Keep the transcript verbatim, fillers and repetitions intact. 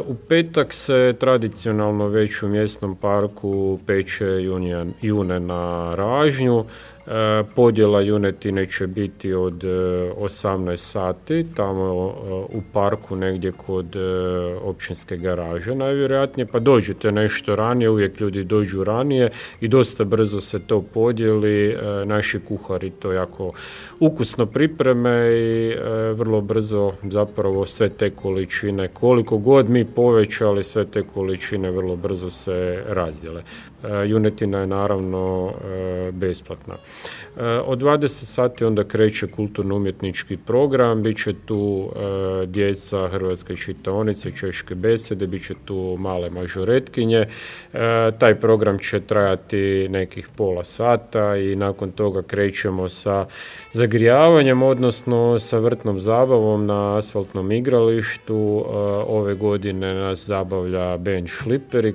U petak se tradicionalno već u mjesnom parku peče junija, june na ražnju. Podjela junetine će biti od osamnaest sati, tamo u parku negdje kod općinske garaže najvjerojatnije, pa dođete nešto ranije, uvijek ljudi dođu ranije i dosta brzo se to podijeli. Naši kuhari to jako ukusno pripreme i vrlo brzo zapravo sve te količine, koliko god mi povećali, sve te količine vrlo brzo se razdjele. Junetina je naravno besplatna. Od dvadeset sati onda kreće kulturno-umjetnički program, bit će tu e, djeca hrvatske čitaonice, češke besede, bit će tu male mažoretkinje. E, taj program će trajati nekih pola sata i nakon toga krećemo sa zagrijavanjem, odnosno sa vrtnom zabavom na asfaltnom igralištu. E, ove godine nas zabavlja band Šliperi